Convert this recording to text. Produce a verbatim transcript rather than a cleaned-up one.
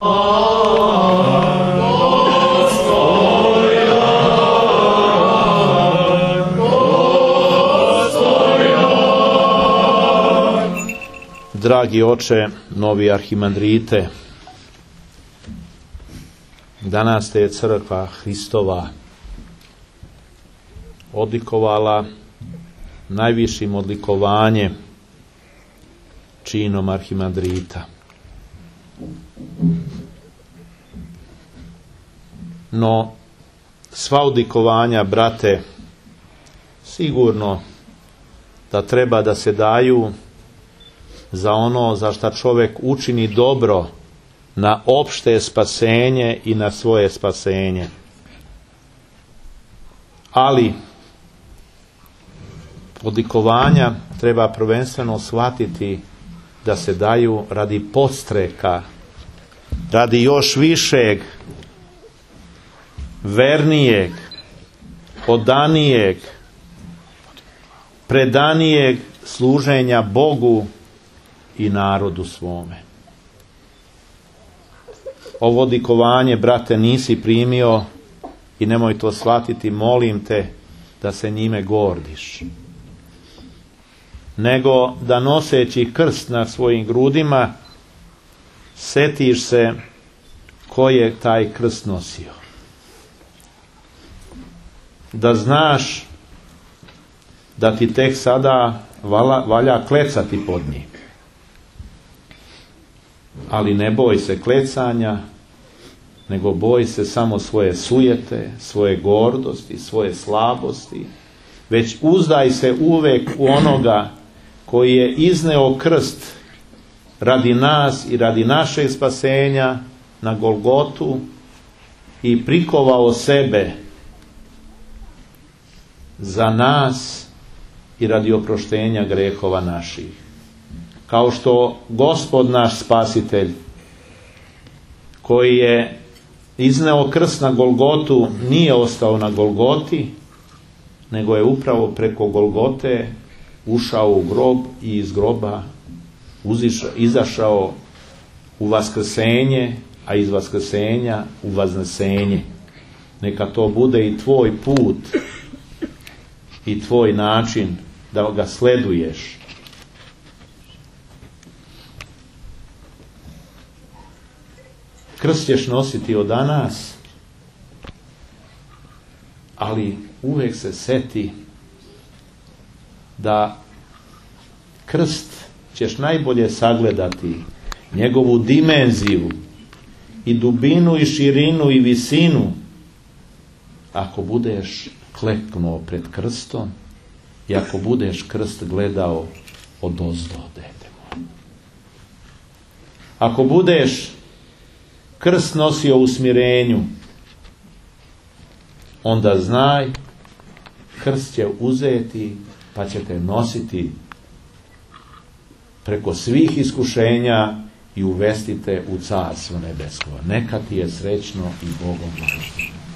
Dragi oče, novi arhimandrite, danas te je crkva Hristova odlikovala najvišim odlikovanjem, činom arhimandrita. No, sva odlikovanja, brate, sigurno da treba da se daju za ono za šta čovjek učini dobro na opšte spasenje i na svoje spasenje. Ali odlikovanja treba prvenstveno shvatiti da se daju radi podstreka, radi još višeg, vernijeg, odanijeg, predanijeg služenja Bogu i narodu svome. Ovo odlikovanje, brate, nisi primio i nemoj to shvatiti, molim te, da se njime gordiš. Nego da noseći krst na svojim grudima, setiš se ko je taj krst nosio. Da znaš da ti tek sada valja, valja klecati pod njim. Ali ne boj se klecanja, nego boj se samo svoje sujete, svoje gordosti, svoje slabosti, već uzdaj se uvek u onoga koji je izneo krst radi nas i radi našeg spasenja na Golgotu i prikovao sebe za nas i radi oproštenja grehova naših. Kao što Gospod naš Spasitelj, koji je izneo krst na Golgotu, nije ostao na Golgoti, nego je upravo preko Golgote ušao u grob i iz groba uzišao, izašao u vaskrsenje, a iz vaskrsenja u vaznesenje. Neka to bude i tvoj put i tvoj način da ga sleduješ. Krst ćeš nositi od danas, ali uvijek se seti da krst ćeš najbolje sagledati, njegovu dimenziju i dubinu i širinu i visinu, ako budeš kleknuo pred krstom i ako budeš krst gledao odozdo, dete moje. Ako budeš krst nosio u smirenju, onda znaj, krst će uzeti pa će te nositi preko svih iskušenja i uvesti te u carstvo nebesko. Neka ti je srećno i Bogom blagosloveno.